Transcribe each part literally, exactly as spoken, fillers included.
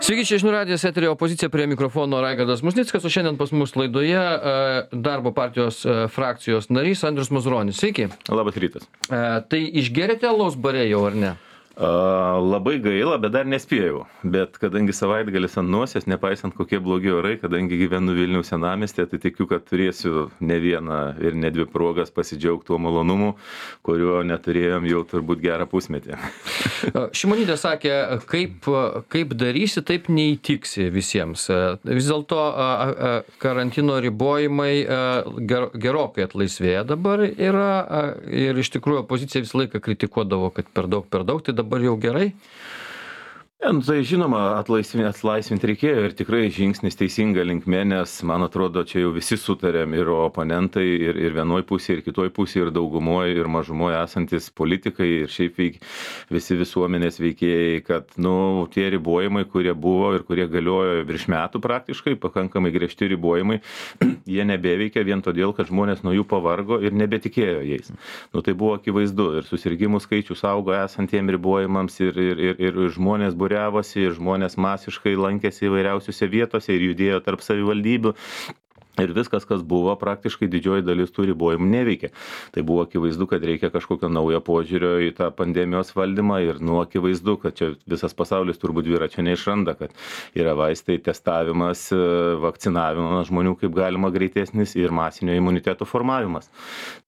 Sveiki, čia žinių radijas, eterio opozicija, prie mikrofono Raigardas Musnickas, o šiandien pas mus laidoje darbo partijos frakcijos narys Andrius Mazuronis. Sveiki. Labas rytas. Tai išgerėte alaus bare jau, ar ne? A, labai gaila, bet dar nespėjau. Bet kadangi savaitgalis ant nosies, nepaisant kokie blogi orai, kadangi gyvenu Vilniaus senamiestyje, tai tikiu, kad turėsiu ne vieną ir ne dvi progas pasidžiaugti tuo malonumu, kurio neturėjom jau turbūt gerą pusmetį. Šimonytė sakė, kaip, kaip darysi, taip neįtiksi visiems. Vis dėlto karantino ribojimai gerokai atlaisvėja dabar yra ir iš tikrųjų opozicija visą laiką kritikuodavo, kad per daug, per daug, tai dabar jau gerai? Ja, nu, tai žinoma, atlaisvinti, atlaisvinti reikėjo ir tikrai žingsnis teisinga linkme, nes man atrodo, čia jau visi sutarėm ir oponentai, ir, ir vienoj pusėje, ir kitoj pusėje, ir daugumoje, ir mažumoje esantis politikai, ir šiaip veik, visi visuomenės veikėjai, kad nu, tie ribojimai, kurie buvo ir kurie galiojo virš metų praktiškai, pakankamai griežti ribojimai, jie nebeveikia vien todėl, kad žmonės nuo jų pavargo ir nebetikėjo jais. Nu, tai buvo akivaizdu ir susirgymų skaičius augo esantiem ribojimams ir, ir, ir, ir žmonės buvo ir žmonės masiškai lankėsi įvairiausiose vietose ir judėjo tarp savivaldybių. Ir viskas, kas buvo, praktiškai didžioji dalis tų ribojimų neveikia. Tai buvo akivaizdu, kad reikia kažkokio naujo požiūrio į tą pandemijos valdymą ir nu akivaizdu, kad čia visas pasaulis turbūt dviračio neišranda, kad yra vaistai, testavimas, vakcinavimas žmonių kaip galima greitesnis ir masinio imuniteto formavimas.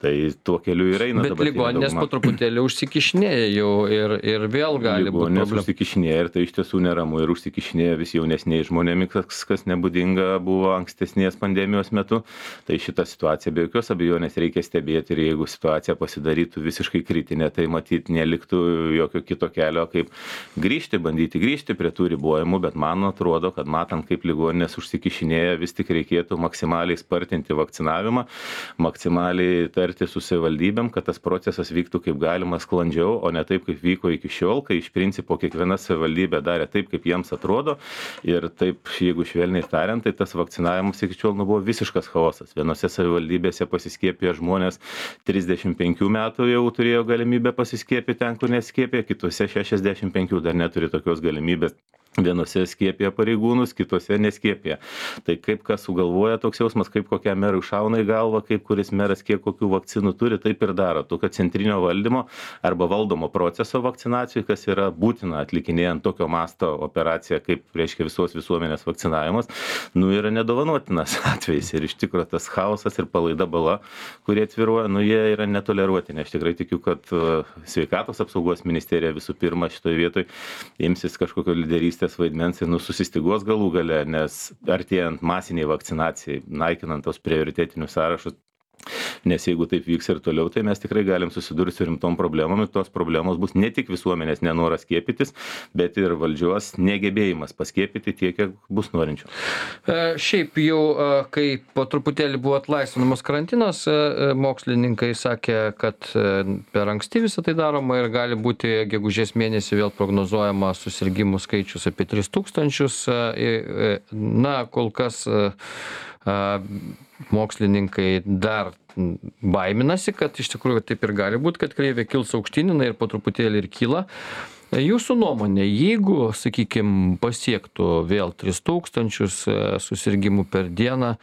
Tai tuo keliu ir eina. Bet ligoninės po truputėlį užsikišinėja jau ir, ir vėl gali būti problemų. Užsikišinėja ir tai iš tiesų neramu ir užsikišinėja vis jaunesniai žmonėmis, kas, kas nebūdinga buvo ankstesnės pandemijos metu, tai šitą situaciją be jokios abejonės reikia stebėti ir jeigu situacija pasidarytų visiškai kritinė, tai matyt neliktų jokio kito kelio, kaip grįžti, bandyti grįžti prie tų ribojimų, bet man atrodo, kad matant, kaip ligoninės užsikišinėja, vis tik reikėtų maksimaliai spartinti vakcinavimą, maksimaliai tarti su savivaldybėm, kad tas procesas vyktų kaip galima sklandžiau, o ne taip, kaip vyko iki šiol, kai iš principo kiekviena savivaldybė darė taip, kaip jiems atrodo ir taip, jeigu švelniai tariant, tai tas vakcinavimas iki šiol nu, buvo visiškas chaosas. Vienose savivaldybėse pasiskiepė žmonės trisdešimt penkių metų jau turėjo galimybę pasiskiepyti ten, kur neskiepė, kitose šešiasdešimt penkių dar neturi tokios galimybės. Vienose skiepė pareigūnus, kitose neskiepė. Tai kaip kas sugalvoja toks jausmas, kaip kokiam merui šauna į galvą, kaip kuris meras kiek kokių vakcinų turi, taip ir daro. Tokio centrinio valdymo arba valdomo proceso vakcinacijų, kas yra būtina atlikinėjant tokio masto operaciją, kaip reiškia visos visuomenės vakcinavimas, nu yra nedovanotinas atvejis. Ir iš tikrųjų tas chaosas ir palaida bala, kurie atviruoja, nu jie yra netoleruotini. Aš tikrai tikiu, kad sveikatos apsaugos ministerija visų pirma šitoje vietoje imsis kažkokio lyderystės vaidmens ir nu, susistygos galų gale, nes artėjant masiniai vakcinacijai, naikinant tos prioritetinius sąrašus, nes jeigu taip vyks ir toliau, tai mes tikrai galim susidurti su rimtom problemom ir tos problemos bus ne tik visuomenės nenoras skiepytis, bet ir valdžios negebėjimas paskiepyti tiek, kiek bus norinčių. E, šiaip jau, kai po truputėlį buvo atlaisvinamas karantinas, mokslininkai sakė, kad per anksti visą tai daroma ir gali būti gegužės mėnesį vėl prognozuojama susirgimų skaičius apie tris tūkstančius. Na, kol kas mokslininkai dar baiminasi, kad iš tikrųjų taip ir gali būti, kad kreivė kils aukštyn ir po truputėlį ir kyla. Jūsų nuomonė, jeigu, sakykime, pasiektų vėl tris tūkstančius susirgimų per dieną,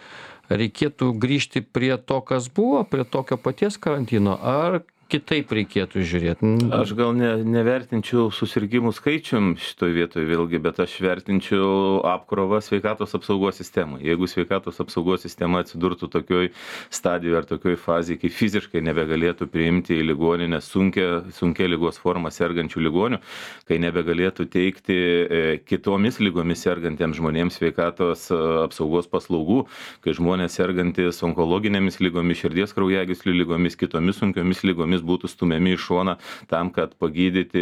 reikėtų grįžti prie to, kas buvo, prie tokio paties karantino, ar kitaip reikėtų žiūrėti? Aš gal ne, nevertinčiau susirgymų skaičium šitoje vietoje vėlgi, bet aš vertinčiau apkrovą sveikatos apsaugos sistemą. Jeigu sveikatos apsaugos sistema atsidurtų tokioj stadijoje ar tokioj fazėje, kai fiziškai nebegalėtų priimti į ligoninę sunkia, sunkia ligos forma sergančių ligonių, kai nebegalėtų teikti e, kitomis lygomis sergantiems žmonėms sveikatos apsaugos paslaugų, kai žmonės sergantis onkologinėmis lygomis, širdies kraujagyslių lygomis, kitomis sunkiomis lygomis būtų stumiami į šoną tam, kad pagydyti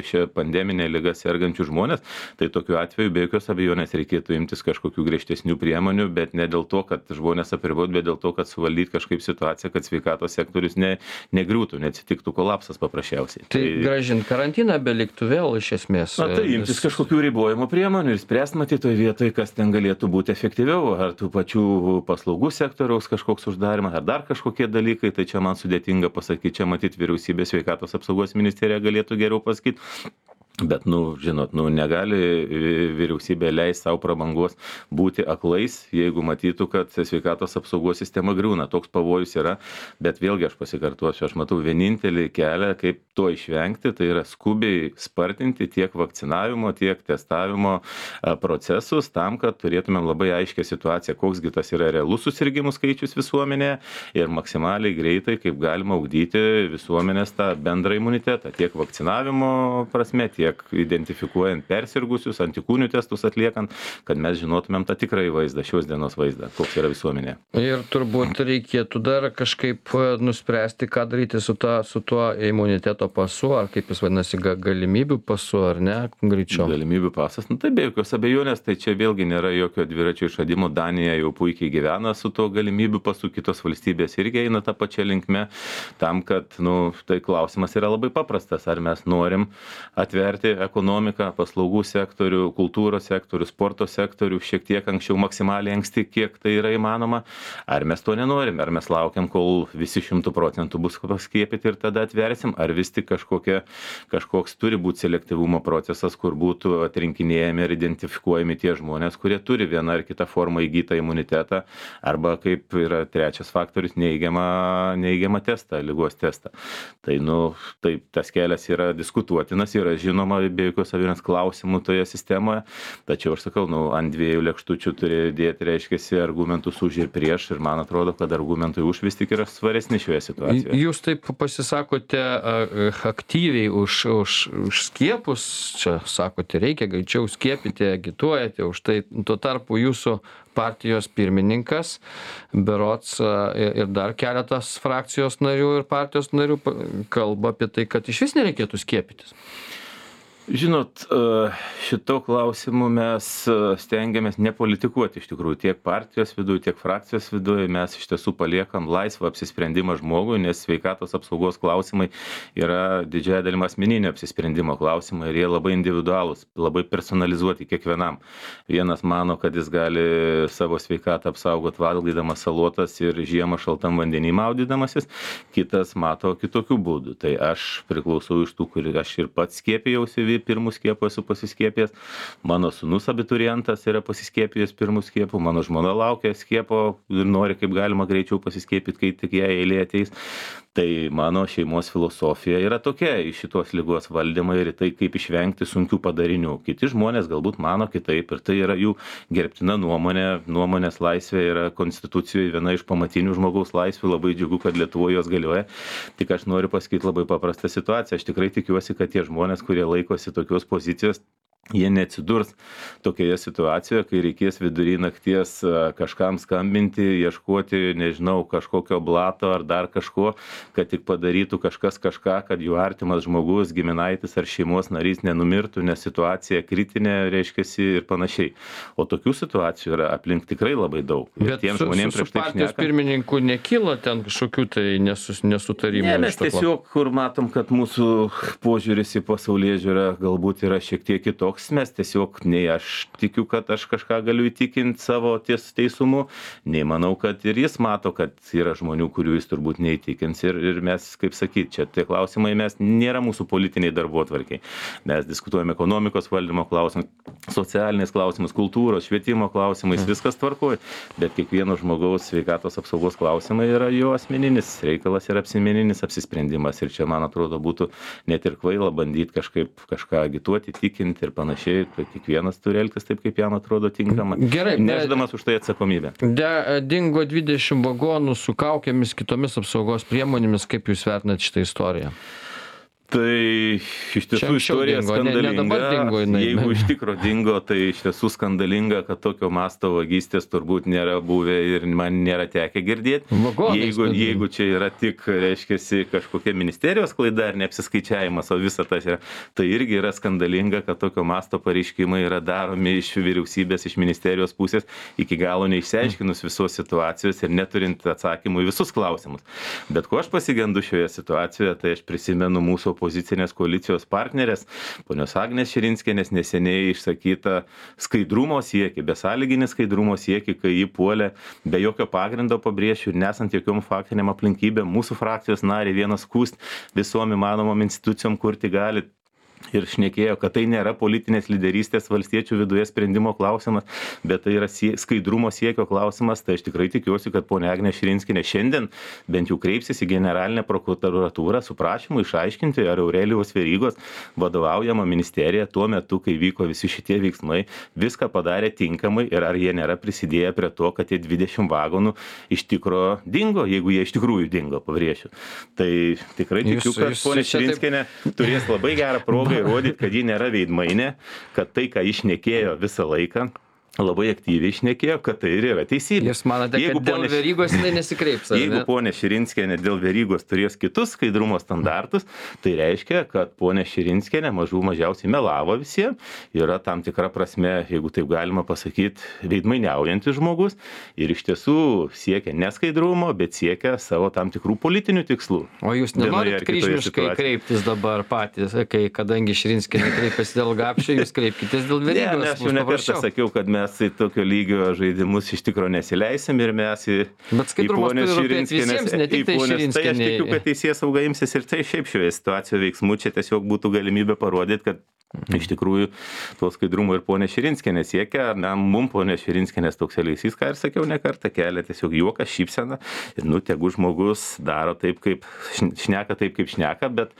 šią pandeminę ligą sergančių žmonės, tai tokiu atveju be jokios abejonės reikėtų imtis kažkokių griežtesnių priemonių, bet ne dėl to, kad žmonės apribot, bet dėl to, kad suvaldyti kažkaip situaciją, kad sveikatos sektorius ne, negriūtų, neatsitiktų kolapsas paprasčiausiai. Tai, tai gražint karantiną beliktų vėl iš esmės. Na tai imtis kažkokių ribojimo priemonių ir spręsti matyti toje vietoje, kas ten galėtų būti efektyviau, ar tų pačių paslaugų sektoriaus kažkoks uždarimas, ar dar kažkokie dalykai, tai čia man sudėtinga pasakyti. Čia matyti vyriausybės sveikatos apsaugos ministerija galėtų geriau pasakyti. Bet, nu, žinot, nu, negali vyriausybė leisti savo prabangos būti aklais, jeigu matytų, kad sveikatos apsaugos sistema griūna. Toks pavojus yra, bet vėlgi aš pasikartuosiu, aš matau vienintelį kelią, kaip to išvengti, tai yra skubiai spartinti tiek vakcinavimo, tiek testavimo procesus tam, kad turėtumėm labai aiškę situaciją, koksgi tas yra realus susirgimų skaičius visuomenėje ir maksimaliai greitai, kaip galima ugdyti visuomenės tą bendrą imunitetą, tiek vakcinavimo prasme, tiek identifikuojant persirgusius, antikūnių testus atliekant, kad mes žinotumėm tą tikrąjį vaizdą, šios dienos vaizdą, koks yra visuomenė. Ir turbūt reikėtų dar kažkaip nuspręsti, ką daryti su, ta, su tuo imuniteto pasu, ar kaip jis vadinasi, ga, galimybių pasu, ar ne, greičiau. Galimybių pasas, nu tai be jokios abejonės, tai čia vėlgi nėra jokio dviračio išradimo, Danija jau puikiai gyvena su tuo galimybių pasu, kitos valstybės irgi eina tą pačią linkmę, tam, kad, nu, tai klausimas yra labai paprastas, ar mes norim atverti ekonomiką, paslaugų sektorių, kultūros sektorių, sporto sektorių šiek tiek anksčiau maksimaliai anksti, kiek tai yra įmanoma. Ar mes to nenorim, ar mes laukiam, kol visi šimtų procentų bus paskiepyti ir tada atversim, ar vis tik kažkokia, kažkoks turi būti selektyvumo procesas, kur būtų atrinkinėjami ir identifikuojami tie žmonės, kurie turi vieną ar kitą formą įgytą imunitetą, arba kaip yra trečias faktorius, neigiamą, neigiamą testą, ligos testą. Tai, nu, taip, tas kelias yra diskutuotinas, yra žinoma, be jokios abejonės klausimų toje sistemoje, tačiau aš sakau, nu, ant dviejų lėkštučių turi dėti, reiškiasi, argumentus už ir prieš, ir man atrodo, kad argumentai už vis tik yra svaresni šioje situacijoje. Jūs taip pasisakote aktyviai už, už, už skiepus, čia sakote, reikia greičiau skiepyti, agituojate už tai, tuo tarpu jūsų partijos pirmininkas, berods ir dar keletas frakcijos narių ir partijos narių kalba apie tai, kad iš vis nereikėtų skiepytis. Žinot, šito klausimu mes stengiamės nepolitikuoti iš tikrųjų tiek partijos viduje, tiek frakcijos viduje. Mes iš tiesų paliekam laisvą apsisprendimą žmogui, nes sveikatos apsaugos klausimai yra didžiąja dalim asmeninio apsisprendimo klausimai ir jie labai individualūs, labai personalizuoti kiekvienam. Vienas mano, kad jis gali savo sveikatą apsaugot valgydamas salotas ir žiemą šaltam vandenį maudydamasis, kitas mato kitokių būdų. Tai aš priklausau iš tų, kur aš ir pats skiepijausi, pirmų skiepų esu pasiskiepijęs, mano sūnus abiturientas yra pasiskiepijęs pirmų skiepų, mano žmona laukia skiepo ir nori kaip galima greičiau pasiskiepyti, kai tik jai eilė ateis. Tai mano šeimos filosofija yra tokia į šitos ligos valdymą ir tai, kaip išvengti sunkių padarinių. Kiti žmonės galbūt mano kitaip ir tai yra jų gerbtina nuomonė. Nuomonės laisvė yra konstitucijoje viena iš pamatinių žmogaus laisvių, labai džiugu, kad Lietuvoje jos galioja. Tik aš noriu pasakyti labai paprastą situaciją. Aš tikrai tikiuosi, kad tie žmonės, kurie laikosi tokios pozicijos, jie neatsidurs tokioje situacijoje, kai reikės vidury nakties kažkam skambinti, ieškoti, nežinau, kažkokio blato ar dar kažko, kad tik padarytų kažkas kažką, kad jų artimas žmogus, giminaitis ar šeimos narys nenumirtų, nes situacija kritinė, reiškiasi ir panašiai. O tokių situacijų yra aplink tikrai labai daug. Bet su, su, su partijos pirmininku nekyla ten kažkokių tai nesus, nesutarimų? Ne, mes tiesiog, kur matom, kad mūsų požiūris į pasaulėžiūrą galbūt yra šiek tiek kitoks. Mes tiesiog, nei aš tikiu, kad aš kažką galiu įtikinti savo ties teisumu, nei manau, kad ir jis mato, kad yra žmonių, kurių jis turbūt neįtikins. Ir, ir mes, kaip sakyti, čia tie klausimai mes nėra mūsų politiniai darbotvarkiai. Mes diskutuojame ekonomikos valdymo klausimus, socialiniais klausimus, kultūros, švietimo klausimais, viskas tvarkoja. Bet kiekvieno žmogaus sveikatos apsaugos klausimai yra jo asmeninis reikalas ir asmeninis apsisprendimas. Ir čia, man atrodo, būtų net ir kvaila bandyti kažkaip kažką agituoti, tikinti ir panašiai. Panašiai, tai kiekvienas turi elgtis taip, kaip jam atrodo tinkama, Gerai, neždamas už tai atsakomybę. De, dingo dvidešimt vagonų su kaukėmis, kitomis apsaugos priemonėmis. Kaip jūs vertinate šitą istoriją? Tai iš tiesų istorija dingo, skandalinga. Ne, ne dingo, jinai, Jeigu iš tikro dingo, tai iš tiesų skandalinga, kad tokio masto vagystės turbūt nėra buvę ir man nėra tekę girdėti. Jeigu, jeigu čia yra tik, reiškiasi, kažkokia ministerijos klaida ar neapsiskaičiavimas, o visa tas yra, tai irgi yra skandalinga, kad tokio masto pareiškimai yra daromi iš vyriausybės, iš ministerijos pusės, iki galo neišsiaiškinus visos situacijos ir neturint atsakymų į visus klausimus. Bet ko aš pasigendu šioje situacijoje, tai aš prisimenu mūsų opozicinės koalicijos partnerės, ponios Agnės Širinskienės neseniai išsakyta skaidrumo siekį, besąlyginį skaidrumo siekį, kai jį puolė be jokio pagrindo, pabrėšiu, ir nesant jokiom faktiniam aplinkybėm, mūsų frakcijos nariai vienas skųst visom įmanomom institucijom, kur tik gali. ir šnekėjo, kad tai nėra politinės lyderystės valstiečių viduje sprendimo klausimas, bet tai yra sie skaidrumo siekio klausimas, tai aš tikrai tikiuosi, kad ponia Agnė Širinskienė šiandien bent jau kreipsis į generalinę prokuratūrą su prašymu išaiškinti, ar Aurelijaus Verygos vadovaujama ministerija tuo metu, kai vyko visi šitie veiksmai, viską padarė tinkamai ir ar jie nėra prisidėję prie to, kad tie dvidešimt vagonų iš tikro dingo, jeigu jie iš tikrųjų dingo, pabrėšiu. Tai tikrai tikiu, kad ponia Širinskienė turės labai gerą progą įrodyti, kad ji nėra veidmainė, kad tai, ką išnekėjo visą laiką, labai aktyviai šnekėjo, kad tai ir yra teisybė. Jūs manote, jeigu kad dėl ponė, Verygos jinai nesikreips? Jeigu ponė Širinskienė dėl Verygos turės kitus skaidrumo standartus, tai reiškia, kad ponė Širinskienė mažų mažiausiai melavo visiems, yra tam tikra prasme, jeigu taip galima pasakyti, veidmainiaujantis žmogus ir iš tiesų siekia ne skaidrumo, bet siekia savo tam tikrų politinių tikslų. O jūs nenorit kryžmiškai kreiptis dabar patys, kai kadangi Širinskienė kreipiasi dėl Gapšio, jūs kreipkitės dėl Verygos? Ne, aš jau nekartą sakiau, kad mes į tokio lygio žaidimus iš tikro nesileisim ir mes į, į ponę Širinskienės. Tai aš tikiu, kad teisėsauga imsis ir tai šiaip šioje situacijoje veiksmų, čia tiesiog būtų galimybė parodyti, kad iš tikrųjų to skaidrumo ir ponė Širinskienė siekia, na, mum ponė Širinskienės toks elgesys, ką ir sakiau ne kartą, kelia tiesiog juoką, šypseną ir nu, tegu žmogus daro taip, kaip šneka, taip, kaip šneka, bet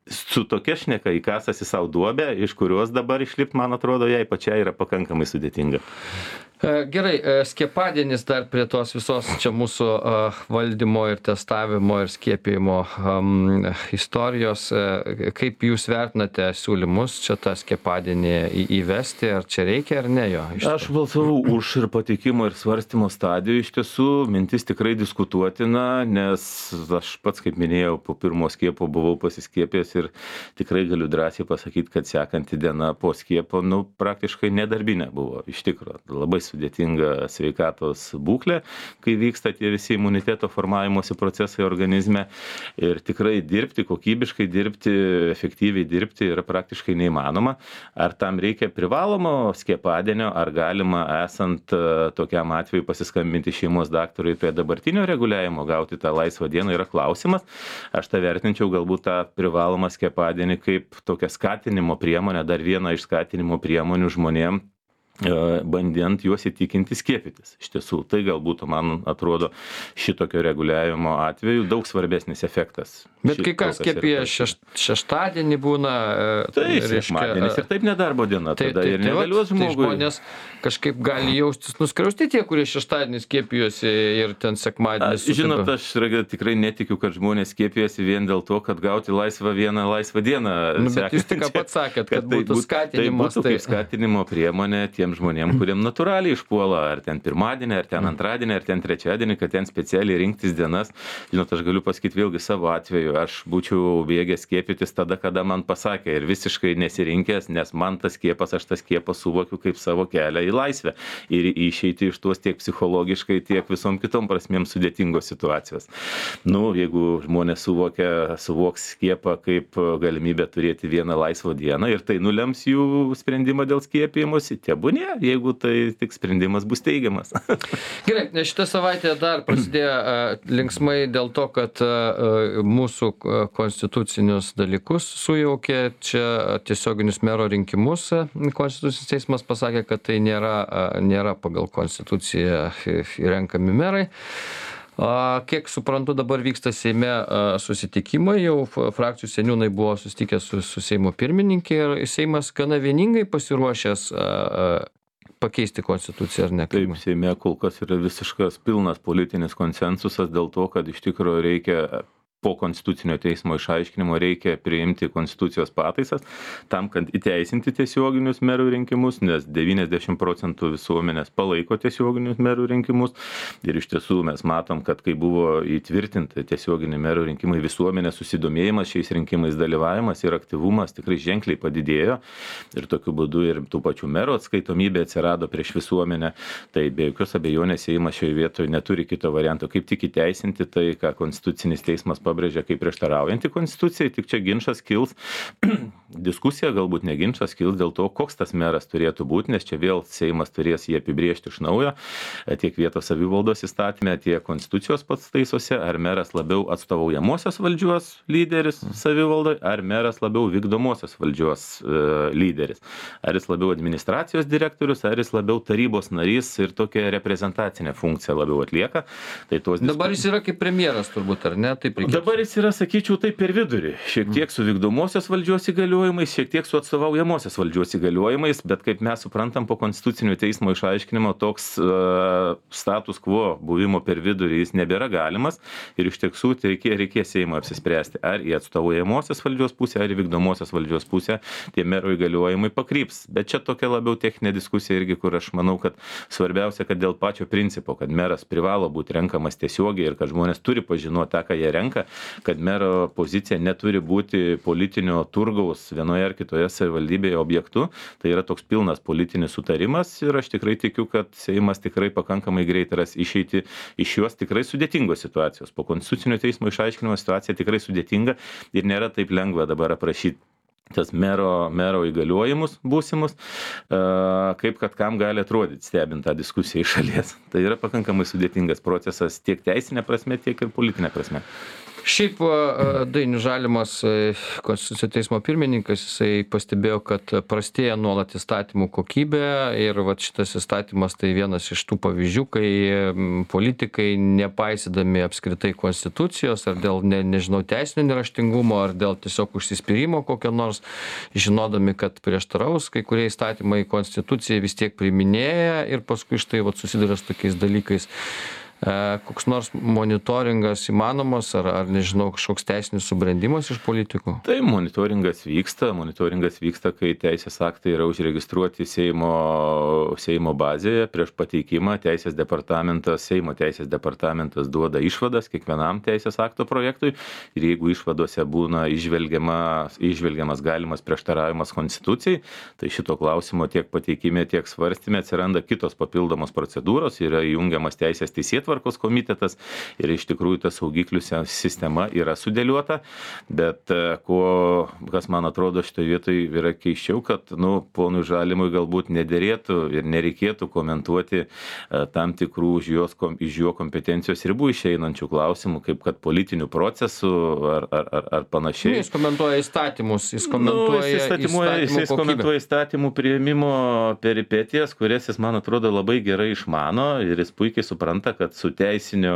su tokia šneka įkasasi savo duobę, iš kurios dabar išlipti, man atrodo, jai pačiai yra pakankamai sudėtinga. Gerai, skiepadienis dar prie tos visos čia mūsų valdymo ir testavimo ir skiepijimo um, istorijos. Kaip jūs vertinate siūlymus čia tą skiepadienį įvesti, ar čia reikia ar ne jo? Aš balsavau už ir pateikimo ir svarstymo stadijų. Iš tiesų, mintis tikrai diskutuotina, nes aš pats, kaip minėjau, po pirmo skiepo buvau pasiskiepęs ir tikrai galiu drąsiai pasakyti, kad sekanti diena po skiepo, nu, praktiškai nedarbinė buvo. Iš tikro, labai sudėtinga sveikatos būklė, kai vyksta tie visi imuniteto formavimosi procesai organizme ir tikrai dirbti, kokybiškai dirbti, efektyviai dirbti yra praktiškai neįmanoma. Ar tam reikia privalomo skiepadienio, ar galima esant tokiam atveju pasiskambinti šeimos daktarui prie dabartinio reguliavimo, gauti tą laisvą dieną yra klausimas. Aš tą vertinčiau galbūt tą privalomą skiepadienį kaip tokią skatinimo priemonę, dar vieną iš skatinimo priemonių žmonėm, bandant juos įtikinti skiepytis. Iš tiesų, tai galbūt, man atrodo, šitokio reguliavimo atveju daug svarbesnis efektas. Bet kai kas skiepija šeš, šeštadienį būna... Tai sekmadienis ir taip nedarbo diena, tai, tada tai, ir negalios tai, žmogui. Tai žmonės kažkaip gali jaustis nuskriausti tie, kurie šeštadienį skiepijosi ir ten sekmadienį. Žinot, aš tikrai netikiu, kad žmonės skiepijasi vien dėl to, kad gauti laisvą vieną laisvą dieną. Nu, bet jūs tik pats sakėt, kad, kad būtų tai skatinimas. Tai būtų kaip skatinimo priemonė tiem žmonėm, kuriem natūraliai išpuola, ar ten pirmadienį, ar ten antradienį, ar ten trečiadienį, kad ten specialiai rinktis dienas. Žinot, aš galiu pasakyti vėlgi savo atveju, aš būčiau bėgęs skiepytis tada, kada man pasakė ir visiškai nesirinkęs, nes man tas skiepas, aš tą skiepą suvokiu kaip savo kelią į laisvę ir išeiti iš tuos tiek psichologiškai, tiek visom kitom prasmėm sudėtingos situacijos. Nu, jeigu žmonės suvokia, suvoks skiepą kaip galimybę turėti vieną laisvą dieną ir tai nulems jų sprendimą dėl skiepijimosi, tebūnie, jeigu tai tik sprendimas bus teigiamas. Gerai, šitą savaitę dar prasidėjo uh, linksmai dėl to, kad uh, mūsų konstitucinius dalykus sujaukė čia tiesioginius mero rinkimus. Konstitucinis teismas pasakė, kad tai nėra, uh, nėra pagal konstituciją renkami merai. A, kiek suprantu, dabar vyksta Seime a, susitikimai, jau frakcijų seniūnai buvo susitikę su, su Seimo pirmininkė ir Seimas gana vieningai pasiruošęs a, a, pakeisti konstituciją, ar ne? Taip, Seime kol kas yra visiškas pilnas politinis konsensusas dėl to, kad iš tikrųjų reikia po konstitucinio teismo išaiškinimo reikia priimti konstitucijos pataisas tam, kad įteisinti tiesioginius merų rinkimus, nes devyniasdešimt procentų visuomenės palaiko tiesioginius merų rinkimus ir iš tiesų mes matom, kad kai buvo įtvirtinti tiesioginiai merų rinkimai, visuomenės susidomėjimas šiais rinkimais, dalyvavimas ir aktyvumas tikrai ženkliai padidėjo ir tokiu būdu ir tų pačių merų atskaitomybė atsirado prieš visuomenę, tai be jokios abejonės Seimas šioje vietoje neturi kito varianto, kaip tik įteisinti tai, ką konstitucinis teismas pabrėžė pabrėžia kaip prieštaraujantį konstitucijai, tik čia ginčas kils, diskusija galbūt ne ginčas kils dėl to, koks tas meras turėtų būti, nes čia vėl Seimas turės jį apibriežti iš naujo, tiek vietos savivaldos įstatymė, tiek konstitucijos pataisos, ar meras labiau atstovaujamosios valdžios lyderis savivaldoj, ar meras labiau vykdomosios valdžios e, lyderis. Ar jis labiau administracijos direktorius, ar jis labiau tarybos narys ir tokią reprezentacinę funkciją labiau atlieka. Tai tos Dabar jis yra kaip premjeras turbūt, ar ne? Taip reikėtų. Dabar jis yra, sakyčiau, taip per vidurį. Šiek tiek su vykdomosios valdžios įgaliojimais, šiek tiek su atstovaujamosios valdžios įgaliojimais, bet kaip mes suprantam po konstitucinio teismo išaiškinimo, toks uh, status quo buvimo per vidurį jis nebėra galimas ir iš tiesų reikės, reikės Seimo apsispręsti, ar į atstovaujamosios valdžios pusę, ar į vykdomosios valdžios pusę tie mero įgaliojimai pakryps. Bet čia tokia labiau techninė diskusija irgi, kur aš manau, kad svarbiausia, kad dėl pačio principo, kad meras privalo būti renkamas tiesiogiai ir kad žmonės turi pažinoti tą, ką jie renka, kad mero pozicija neturi būti politinio turgaus vienoje ar kitoje savivaldybėje objektu. Tai yra toks pilnas politinis sutarimas ir aš tikrai tikiu, kad Seimas tikrai pakankamai greit ras išeiti iš šios tikrai sudėtingos situacijos. Po konstitucinio teismo išaiškinimo situacija tikrai sudėtinga ir nėra taip lengva dabar aprašyti tas mero, mero įgaliojimus būsimus, kaip kad kam gali atrodyti stebint tą diskusiją iš šalies. Tai yra pakankamai sudėtingas procesas tiek teisinė prasme, tiek ir politinė prasme. Šiaip Dainius Žalimas, Konstitucinio teismo pirmininkas, jisai pastebėjo, kad prastėja nuolat įstatymų kokybė ir vat šitas įstatymas tai vienas iš tų pavyzdžių, kai politikai, nepaisydami apskritai konstitucijos ar dėl, ne, nežinau, teisinio neraštingumo, ar dėl tiesiog užsispyrimo kokio nors, žinodami, kad prieštaraus, kai kurie įstatymai konstitucijai vis tiek priiminėja ir paskui štai vat susiduria su tokiais dalykais. Koks nors monitoringas įmanomas, ar, ar nežinau, kažkoks teisinis subrendimas iš politikų? Tai monitoringas vyksta, monitoringas vyksta, kai teisės aktai yra užregistruoti Seimo, Seimo bazėje prieš pateikimą. Teisės departamentas, Seimo teisės departamentas duoda išvadas kiekvienam teisės akto projektui ir jeigu išvadose būna išvelgiamas, išvelgiamas galimas prieštaravimas konstitucijai, tai šito klausimo tiek pateikime, tiek svarstyme atsiranda kitos papildomos procedūros, yra įjungiamas teisės teisėtvarkos komitetas ir iš tikrųjų ta saugiklių sistema yra sudėliota, bet ko, kas man atrodo šitoje vietoje yra keiščiau, kad, nu, ponui Žalimui galbūt nederėtų ir nereikėtų komentuoti tam tikrų iš, jos, iš jo kompetencijos ribų išeinančių klausimų, kaip kad politinių procesų ar, ar, ar, ar panašiai. Jis komentuoja įstatymus, jis komentuoja, nu, jis įstatymų, jis komentuoja įstatymų priėmimo peripetijas, kurias jis, man atrodo, labai gerai išmano ir jis puikiai supranta, kad su teisinio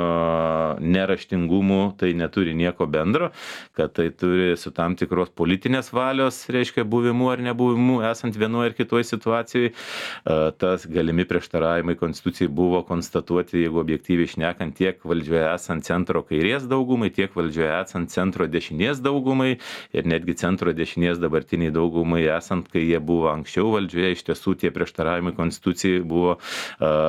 neraštingumu tai neturi nieko bendro, kad tai turi su tam tikros politinės valios, reiškia, buvimu ar nebuvimu, esant vienoje ar kitoje situacijoje. Tas galimi prieštaravimai konstitucijai buvo konstatuoti, jeigu objektyviai šnekant, tiek valdžioje esant centro kairės daugumai, tiek valdžioje esant centro dešinės daugumai ir netgi centro dešinės dabartiniai daugumai esant, kai jie buvo anksčiau valdžioje, iš tiesų tie prieštaravimai konstitucijai buvo,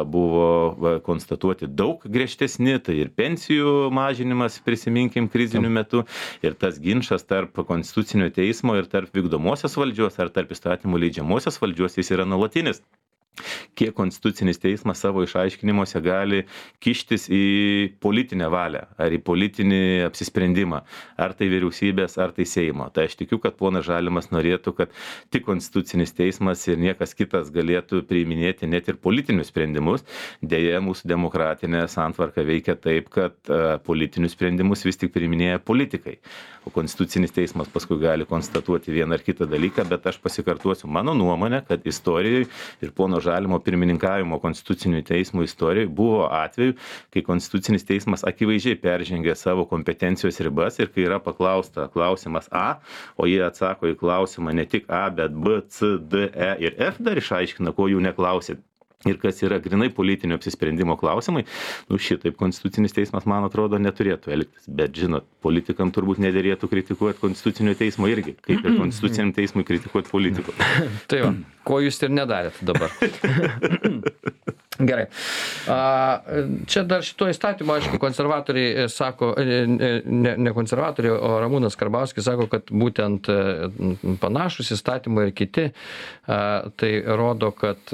buvo konstatuoti daug griežtesni, tai ir pensijų mažinimas, prisiminkim, kriziniu metu, ir tas ginčas tarp konstitucinio teismo ir tarp vykdomosios valdžios ar tarp įstatymų leidžiamosios valdžios jis yra nuolatinis. Kiek konstitucinis teismas savo išaiškinimuose gali kištis į politinę valią ar į politinį apsisprendimą, ar tai vyriausybės, ar tai Seimo. Tai aš tikiu, kad ponas Žalimas norėtų, kad tik konstitucinis teismas ir niekas kitas galėtų priiminėti net ir politinius sprendimus. Deja, mūsų demokratinė santvarka veikia taip, kad politinius sprendimus vis tik priiminėja politikai. O konstitucinis teismas paskui gali konstatuoti vieną ar kitą dalyką, bet aš pasikartuosiu mano nuomonę, kad istorijoje ir pono Žalimo pirmininkavimo konstitucinių teismų istorijoje buvo atveju, kai konstitucinis teismas akivaizdžiai peržengė savo kompetencijos ribas ir kai yra paklausta klausimas A, o jie atsako į klausimą ne tik A, bet B, C, D, E ir F dar išaiškina, ko jų neklausė. Ir kas yra grinai politinio apsisprendimo klausimai, nu šitaip konstitucinis teismas, man atrodo, neturėtų elgtis. Bet, žinot, politikam turbūt nederėtų kritikuoti konstitucinio teismo irgi, kaip ir konstituciniam teismui kritikuoti politikų. Tai va, ko jūs ir nedarėt dabar. Gerai. A, čia dar šito įstatymo, aišku, konservatoriai sako, ne, ne konservatoriai, o Ramūnas Karbauskis sako, kad būtent panašus įstatymai ir kiti, a, tai rodo, kad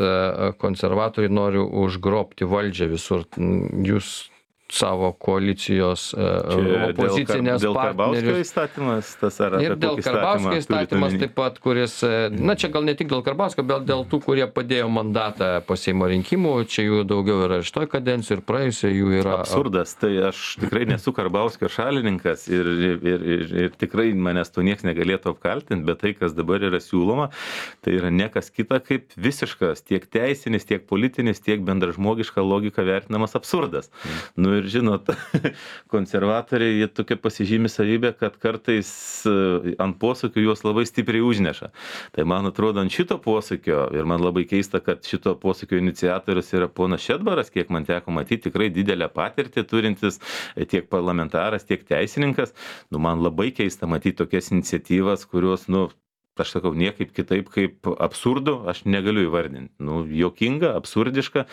konservatoriai nori užgrobti valdžią visur. Jūs savo koalicijos opozicinės dėl Karbauskio partnerius. įstatymas, tas ar Ir dėl Karbauskio įstatymas taip pat, kuris, na čia gal ne tik dėl Karbauskio, bet dėl tų, kurie padėjo mandatą po Seimo rinkimų, čia jų daugiau yra iš toj kadencijų ir praėjusio jų yra. Absurdas, tai aš tikrai nesu Karbauskio šalininkas ir, ir, ir, ir tikrai manęs to nieks negalėtų apkaltinti, bet tai, kas dabar yra siūloma, tai yra niekas kita kaip visiškas tiek teisinis, tiek politinis, tiek bendražmogiška logika vertinamas absurdas. Mm. Nu ir žinot, konservatoriai, jie tokia pasižymi savybė, kad kartais ant posūkių juos labai stipriai užneša. Tai man atrodo, ant šito posūkio, ir man labai keista, kad šito posūkio iniciatorius yra ponas Šedbaras, kiek man teko matyti, tikrai didelę patirtį turintis tiek parlamentaras, tiek teisininkas. Nu, man labai keista matyti tokias iniciatyvas, kurios, nu, aš sakau, niekaip kitaip kaip absurdu, aš negaliu įvardinti. Nu, jokinga, absurdiška,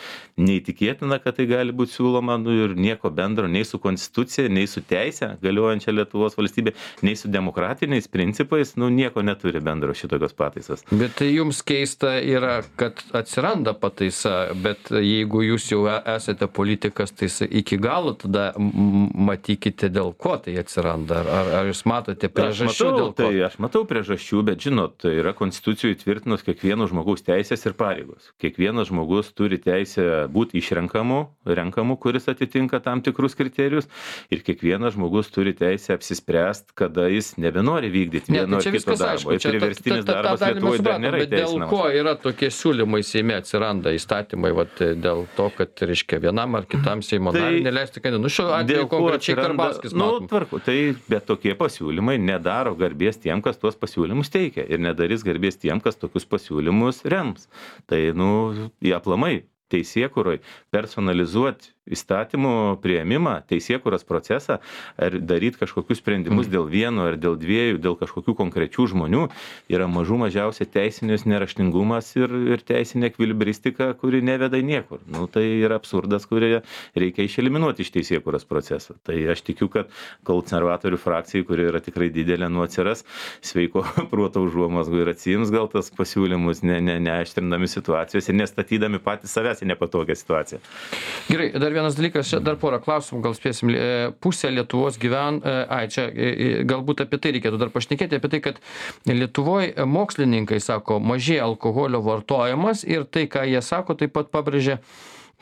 neįtikėtina, kad tai gali būti siūloma, nu, ir nieko bendro nei su konstitucija, nei su teise galiojančia Lietuvos valstybė, nei su demokratiniais principais, nu, nieko neturi bendro šitokios pataisas. Bet tai jums keista yra, kad atsiranda pataisa, bet jeigu jūs jau esate politikas, tai iki galo tada matykite, dėl ko tai atsiranda. Ar, ar jūs matote priežasčių, matau, dėl ko? Tai aš matau priežasčių, bet žinot, tai yra konstitucijų įtvirtinus kiekvieno žmogaus teisės ir pareigos. Kiekvienas žmogus turi teisę būti išrenkamu, renkamu, kuris atitinka tam tikrus kriterijus, ir kiekvienas žmogus turi teisę apsispręsti, kada jis nebenori vykdyti vieno ar kito darbo. Ir priverstinis darbas Lietuvoje dar nėra įteisinamas. Dėl ko yra tokie siūlymai Seime atsiranda įstatymai, vat, dėl to, kad, reiškia, vienam ar kitam Seimo nariui neleisti kandidatų. Nu, šiuo atveju konkrečiai Karbauskis matom. Nu, tvarku, tai bet tokie pasiūlymai nedaro garbės tiem, kas tuos pasiūlymus teikia. Ir nedarys garbės tiem, kas tokius pasiūlymus rems. Tai, nu, jie aplamai teisėkūroj personalizuoti įstatymų priėmimą, teisėkūros procesą, ar daryti kažkokius sprendimus mm. dėl vieno ar dėl dviejų, dėl kažkokių konkrečių žmonių, yra mažų mažiausia teisinis neraštingumas ir, ir teisinė ekvilibristika, kuri neveda į niekur. Nu, tai yra absurdas, kurį reikia išeliminuoti iš teisėkūros proceso. Tai aš tikiu, kad konservatorių frakcijai, kuri yra tikrai didelė, nu atsiras sveiko proto užuomazgų ir atsiims gal tas pasiūlymus, ne, ne, neaštrindami situacijos ir nestatydami patys savęs į nepatogią situaciją. Gerai, dar vienas dalykas, čia dar porą klausimų, gal spėsim. Pusė Lietuvos gyven, ai, čia galbūt apie tai reikėtų dar pašnekėti, apie tai, kad Lietuvoje mokslininkai sako, mažėja alkoholio vartojimas ir tai, ką jie sako, taip pat pabrėžia,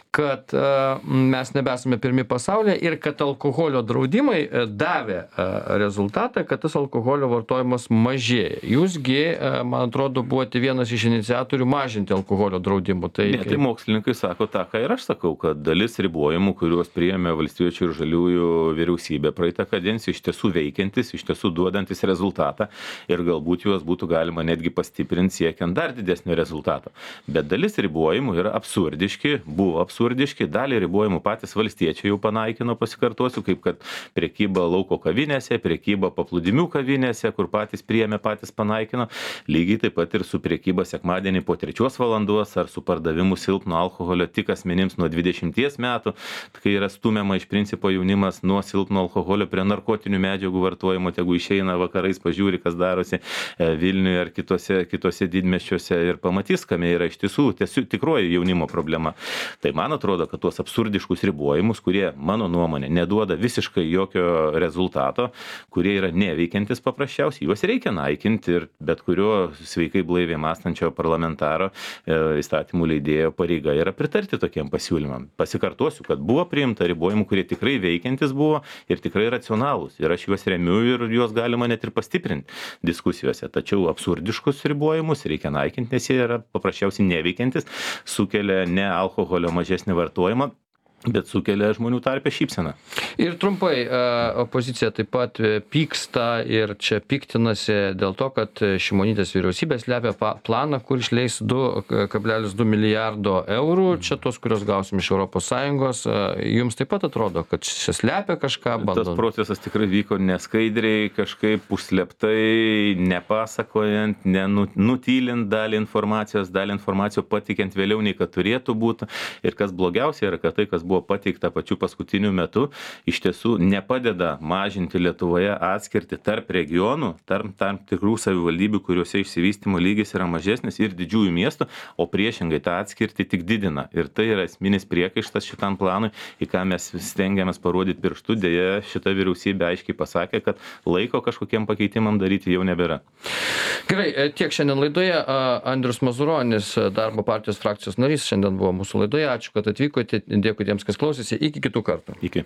kad uh, mes nebesame pirmi pasaulyje ir kad alkoholio draudimai uh, davė uh, rezultatą, kad tas alkoholio vartojimas mažėja. Jūsgi, uh, man atrodo, buvote vienas iš iniciatorių mažinti alkoholio draudimų. Tai, ne, tai mokslininkai sako tą, ką ir aš sakau, kad dalis ribojimų, kuriuos priėmė Valstiečių ir Žaliųjų vyriausybė praeitą kadenciją, iš tiesų veikiantis, iš tiesų duodantis rezultatą ir galbūt juos būtų galima netgi pastiprinti siekiant dar didesnio rezultato. Bet dalis ribojimų yra absurdiški, buvo absurdiški. absurdiški, dalį ribojimų patys valstiečiai jau panaikino, pasikartosiu, kaip kad prekyba lauko kavinėse, prekyba paplūdimių kavinėse, kur patys priėmė, patys panaikino, lygiai taip pat ir su prekyba sekmadienį po trečios valandos ar su pardavimu silpno alkoholio tik asmenims nuo dvidešimties metų, kai yra stumiama iš principo jaunimas nuo silpno alkoholio prie narkotinių medžiagų vartojimo, tegu išeina vakarais, pažiūri, kas darosi Vilniuje ar kitose, kitose didmiesčiuose ir pamatys, kame yra iš tiesų tiesiog tikroji jaunimo problema. Tai man atrodo, kad tuos absurdiškus ribojimus, kurie, mano nuomonė, neduoda visiškai jokio rezultato, kurie yra neveikiantis paprasčiausiai, juos reikia naikinti ir bet kurio sveikai blaiviai mąstančio parlamentaro e, įstatymų leidėjo pareiga yra pritarti tokiem pasiūlymam. Pasikartosiu, kad buvo priimta ribojimų, kurie tikrai veikiantis buvo ir tikrai racionalūs. Ir aš juos remiu ir juos galima net ir pastiprinti diskusijose. Tačiau absurdiškus ribojimus reikia naikinti, nes jie yra paprasčiausiai neveikiantis, sukelia ne alkoholio mažesnį vartojimą, bet sukelia žmonių tarpe šypseną. Ir trumpai, opozicija taip pat pyksta ir čia piktinasi dėl to, kad Šimonytės vyriausybė slepia planą, kur išleis du kablelis du milijardo eurų, čia tos, kurios gausim iš Europos Sąjungos. Jums taip pat atrodo, kad čia slepia kažką, bando? Tas procesas tikrai vyko neskaidriai, kažkaip užsleptai, nepasakojant, nenutylint dalį informacijos, dalį informacijos patikiant vėliau nei kad turėtų būti. Ir kas blogiausia yra, kad tai, kas buvo pateikta pačiu paskutiniu metu, iš tiesų nepadeda mažinti Lietuvoje atskirti tarp regionų, tarp tam tikrų savivaldybių, kuriuose išsivystymo lygis yra mažesnis ir didžiųjų miestų, o priešingai tą atskirti tik didina. Ir tai yra esminis priekaištas šitam planui, į ką mes stengiamės parodyti pirštu. Deja, šita vyriausybė aiškiai pasakė, kad laiko kažkokiem pakeitimam daryti jau nebėra. Gerai, tiek šiandien laidoje. Andrius Mazuronis, Darbo partijos frakcijos narys, šiandien buvo mūsų laidoje. Ačiū, kad atvykote. Dėkui tiems, kas klausėsi. Iki kitų kartų. Iki.